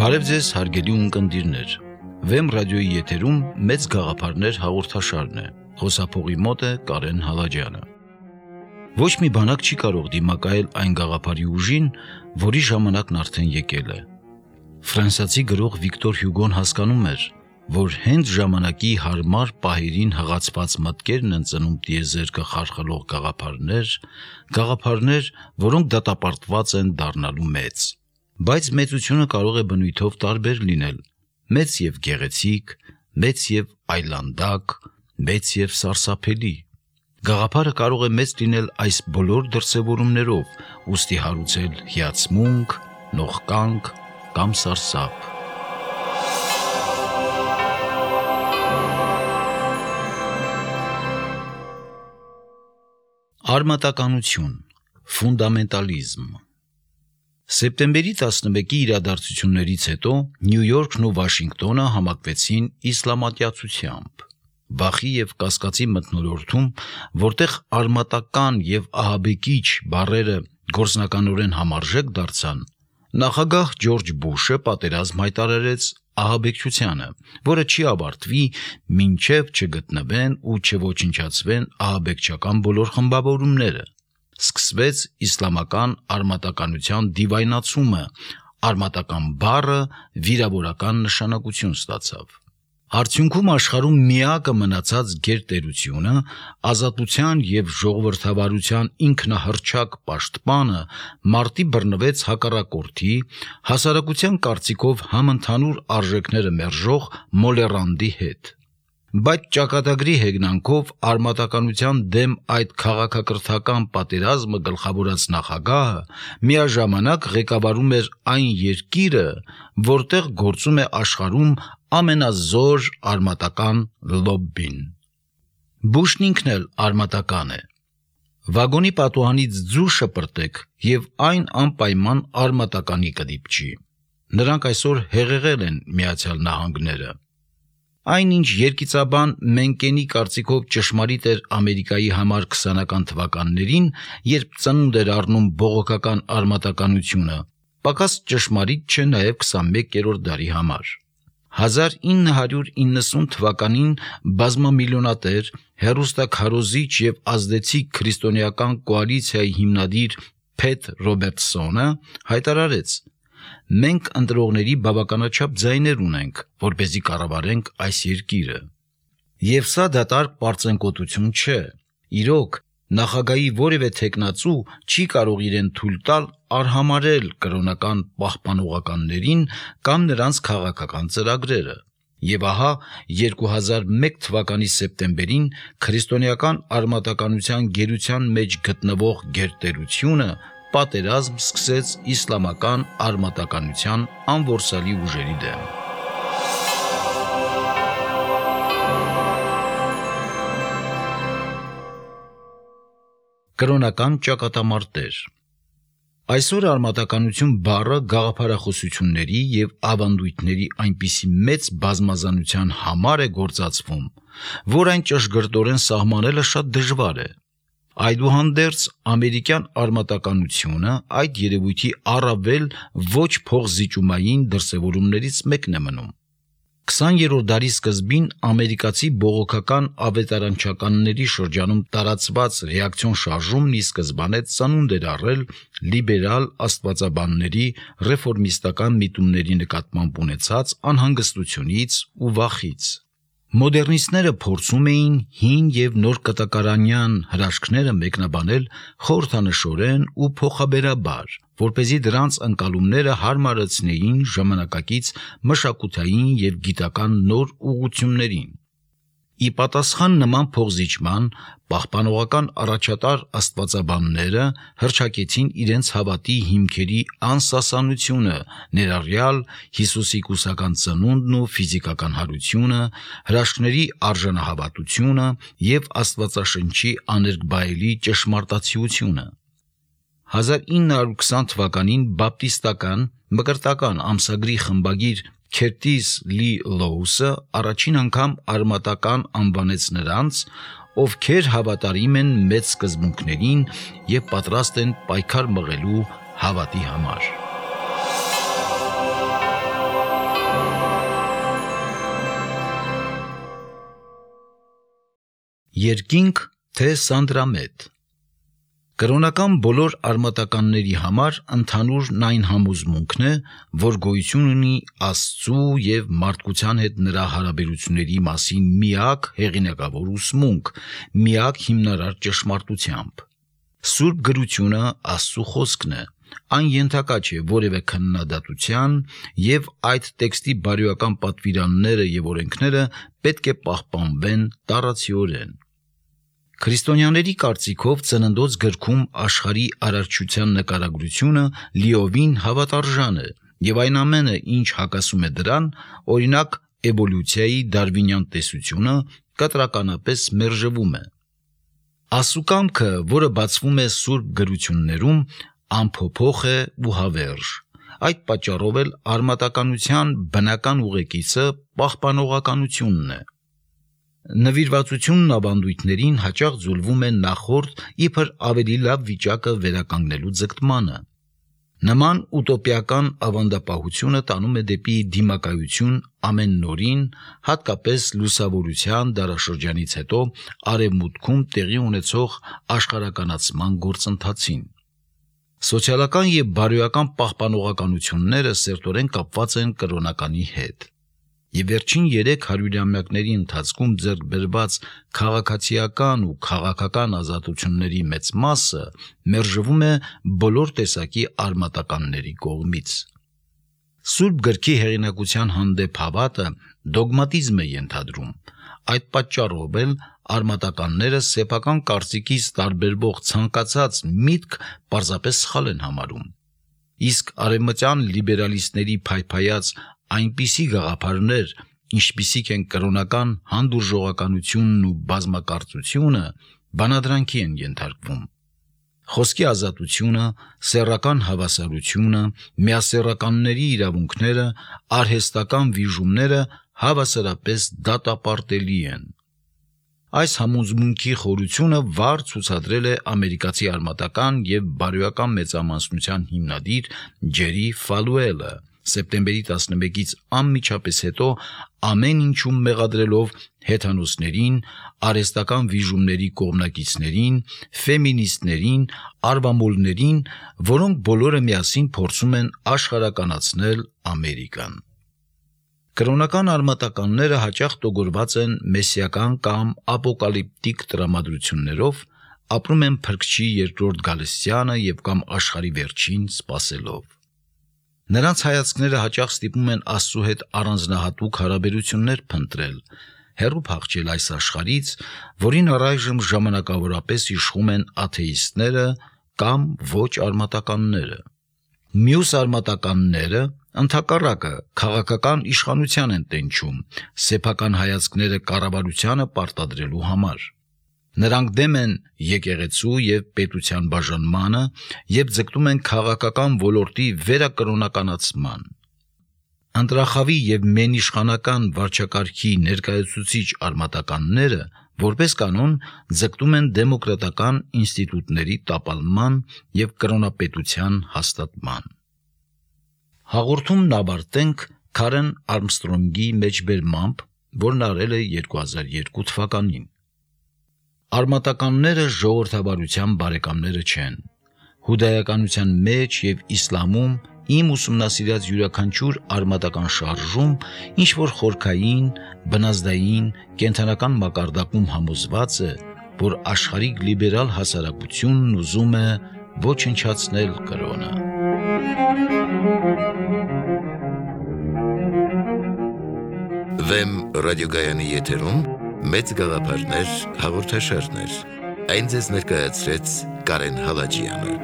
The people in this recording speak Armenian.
Բարև ձեզ հարգելի ունկնդիրներ, Վեմ ռադիոյի եթերում մեծ գաղափարներ հաղորդաշարն է, խոսափողի մոտ է Կարեն Հալաջյանը։ Ոչ մի բանակ չի կարող դիմակայել այն գաղափարի ուժին, որի ժամանակն արդեն եկել է։ Ֆրանսիացի գրող Վիկտոր Հյուգոն հասկանում էր, որ հենց ժամանակի հարմար պահերին հղացված մտքերն են ծնում տիեզերքը խարխլող գաղափարներ, որոնք դատապարտված են դառնալու մեծ։ Բայց մեծությունը կարող է բնույթով տարբեր լինել, մեծ եւ գեղեցիկ, մեծ եւ այլանդակ, մեծ եւ սարսափելի։ Գաղափարը կարող է մեծ լինել այս բոլոր դրսևորումներով, ուստի հարուցել հիացմունք, նողկանք կամ սարսափ։ Արմատականություն, ֆունդամենտալիզմ։ Սեպտեմբերի 11-ի իրադարձություններից հետո Նյու Յորքն ու Վաշինգտոնը համակվեցին իսլամատյացությամբ, վախի եւ կասկածի մթնոլորտում, որտեղ արմատական եւ ահաբեկիչ բառերը գործնականորեն համարժեք դարձան, նախագահ Ջորջ Բուշը պատերազմ հայտարարեց ահաբեկչությանը, որը չի ավարտվի, մինչև չգտնվեն ու չոչնչացվեն ահաբեկչական բոլոր խմբավորումները։ Սկսվեց իսլամական արմատականության դիվայնացումը, արմատական բառը վիրավորական նշանակություն ստացավ։ Արդյունքում աշխարհում միակը մնացած գերտերությունը, ազատության եւ ժողովրդավարության ինքնահռչակ պաշտպանը մարտի բռնվեց հակառակորդի, հասարակության կարծիքով համընդհանուր արժեքները մերժող Մոլեռանդի հետ։ Բայց ճակատագրի հեգնանքով արմատականության դեմ այդ քաղաքակրթական պատերազմը գլխավորած նախագահը միաժամանակ ղեկավարում էր այն երկիրը, որտեղ գործում է աշխարհում ամենազոր արմատական լոբբին։ Բուշն ինքն էլ արմատական է։ Վագոնի պատուհանից ձու շպրտեք եւ այն անպայման արմատականի կդիպչի։ Նրանք այսօր հեղեղել են Միացյալ Նահանգները։ Այնինչ երկիծաբան Մենկենի կարծիքով ճշմարիտ էր Ամերիկայի համար 20-ական թվականներին, երբ ծնունդ էր առնում բողոքական արմատականությունը, պակաս ճշմարիտ չէ նաև 21-րդ դարի համար։ 1990 թվականին բազմամիլիոնատեր, հեռուստաքարոզիչ եւ ազդեցիկ քրիստոնեական կոալիցիայի հիմնադիր Փեթ Ռոբերտսոնը հայտարարեց. «Մենք ընտրողների բավականաչափ ձայներ ունենք, որպեսզի կառավարենք այս երկիրը»։ Եվ սա դատարկ պարծենկոտություն չէ։ Իրոք, նախագահի որևէ թեկնածու չի կարող իրեն թույլ տալ արհամարհել կրոնական պահպանողականներին կամ նրանց քաղաքական ծրագրերը։ Եվ ահա 2001 թվականի սեպտեմբերին քրիստոնեական արմատականության գերության մեջ գտնվող գերտերությունը պատերազմ սկսեց իսլամական արմատականության անորսալի ուժերի դեմ։ Կրոնական ճակատամարտեր։ Այսօր արմատականություն բառը գաղափարախոսությունների եւ ավանդույթների այնպիսի մեծ բազմազանության համար է գործածվում, որ այն ճշգրտորեն սահմանելը շատ դժվար է։ Այդուհանդերձ ամերիկյան արմատականությունը այդ երևույթի առավել ոչ փոխզիջումային դրսևորումներից մեկն է մնում։ 20-րդ դարի սկզբին ամերիկացի բողոքական ավետարանչականների շրջանում տարածված ռեակցիոն շարժումն ի սկզբանե ծնունդ էր առել լիբերալ աստվածաբանների ռեֆորմիստական միտումների նկատմամբ ունեցած անհանգստությունից ու վախից։ Մոդեռնիստները փորձում էին հին եւ նոր կտակարանյան հրաշքները մեկնաբանել խորհրդանշորեն ու փոխաբերաբար, որպեսզի դրանց ընկալումները հարմարեցնեին ժամանակակից մշակութային եւ գիտական նոր ուղղություններին։ Ի պատասխան նման փոխզիջման պահպանողական առաջատար աստվածաբանները հռչակեցին իրենց հավատի հիմքերի անսասանությունը, ներառյալ Հիսուսի կուսական ծնունդն ու ֆիզիկական հարությունը, հրաշքների արժանահավատությունը եւ Աստվածաշնչի աներկբայելի ճշմարտացիությունը։ 1920 թվականին բապտիստական մկրտական ամսագրի խմբագիր Քերտիս Լի Լոուսը առաջին անգամ արմատական անվանեց նրանց, ովքեր հավատարիմ են մեծ սկզբունքներին եւ պատրաստ են պայքար մղելու հավատի համար։ Երկինք թե Սանդրամետ։ Կրոնական բոլոր արմատականների համար ընդհանուրն այն համոզմունքն է, որ գոյություն ունի Աստծու եւ մարդկության հետ նրա հարաբերությունների մասին միակ հեղինակավոր ուսմունք, միակ հիմնարար ճշմարտությամբ։ Սուրբ գրությունը Աստծու խոսքն է, այն ենթակա չէ որևէ քննադատության եւ այդ տեքստի բարոյական պատվիրանները եւ օրենքները պետք է պահպանվեն տարածիորեն։ Քրիստոնյաների կարծիքով ծննդոց գրքում աշխարհի արարչության նկարագրությունը լիովին հավատարժան է եւ այն ամենը, ինչ հակասում է դրան, օրինակ էվոլյուցիայի դարվինյան տեսությունը, կտրականապես մերժվում է։ Աստծու կամքը, որը բացվում է սուրբ գրություններում, անփոփոխ է ու հավերժ։ Այդ պատճառով էլ արմատականության բնական ուղեկիցը պահպանողականությունն է։ Նվիրվածությունն ավանդույթներին հաճախ ձուլվում է նախորդ իբր ավելի լավ վիճակը վերականգնելու ձգտմանը։ Նման ուտոպիական ավանդապահությունը տանում է դեպի դիմակայություն ամեն նորին, հատկապես լուսավորության դարաշրջանից հետո արևմուտքում տեղի ունեցող աշխարհականացման գործընթացին։ Սոցիալական եւ բարոյական պահպանողականությունները սերտորեն կապված են կրոնականի հետ։ Եվ վերջին 300-ամյակների ընթացքում ձեռք բերված քաղաքացիական ու քաղաքական ազատությունների մեծ մասը մերժվում է բոլոր տեսակի արմատականների կողմից։ Սուրբ գրքի հեղինակության հանդեպ հավատը դոգմատիզմ է ենթադրում։ Այդ պատճառով էլ արմատականները սեփական կարծիքից տարբերվող ցանկացած միտք պարզապես սխալ են համարում։ Իսկ արևմտյան լիբերալիստների փայփայած այնպիսի գաղափարներ, ինչպիսիք են կրոնական հանդուրժողականությունն ու բազմակարծությունը, բանադրանքի են ենթարկվում։ Խոսքի ազատությունը, սեռական հավասարությունը, միասեռականների իրավունքները, արհեստական վիժումները հավասարապես դատապարտելի են։ Այս համոզմունքի խորությունը վառ ցուցադրել է ամերիկացի արմատական եւ բարոյական մեծամասնության հիմնադիր Ջերի Ֆալուելը սեպտեմբերի 11-ից անմիջապես հետո ամեն ինչում մեղադրելով հեթանոսներին, արհեստական վիժումների կողմնակիցներին, ֆեմինիստներին, արվամոլներին, որոնք բոլորը միասին փորձում են աշխարհականացնել Ամերիկան։ Կրոնական արմատականները հաճախ տոգորված են մեսիական կամ ապոկալիպտիկ տրամադրություններով, ապրում են Փրկչի երկրորդ գալստյանը եւ կամ աշխարհի վերջին սպասելով։ Նրանց հայացքները հաճախ ստիպում են Աստծու հետ առանձնահատուկ հարաբերություններ փնտրել, հեռու փախչել այս աշխարհից, որին առայժմ ժամանակավորապես իշխում են աթեիստները կամ ոչ արմատականները։ Մյուս արմատականները ընդհակառակը քաղաքական իշխանության են տենչում, սեփական հայացքները կառավարությանը պարտադրելու համար։ Նրանք դեմ են եկեղեցու եւ պետության բաժանմանը եւ ձգտում են քաղաքական ոլորտի վերակրոնականացման։ Ընտրախավի եւ մենիշխանական վարչակարգի ներկայացուցիչ արմատականները որպես կանոն ձգտում են դեմոկրատական ինստիտուտների տապալման եւ կրոնապետության հաստատման։ Հաղորդումն ավարտենք Քարեն Արմստրոնգի մեջբերմամբ, որն արել է 2002 թվականին։ Արմատականները ժողովրդավարության բարեկամները չեն։ Հուդայականության մեջ եւ իսլամում իմ ուսումնասիրած յուրաքանչյուր արմատական շարժում ինչ որ խորքային, բնազդային, կենթանական մակարդակում համոզված է, որ աշխարհիկ լիբերալ հասարակությունն ուզում է ոչնչացնել կրոնը։ Վեմ ռադիոգայանի եթերում մեծ գաղափարներ հաղորդաշարներ։ Այն ձեզ ներկայացրեց Կարեն Հալաջյանը։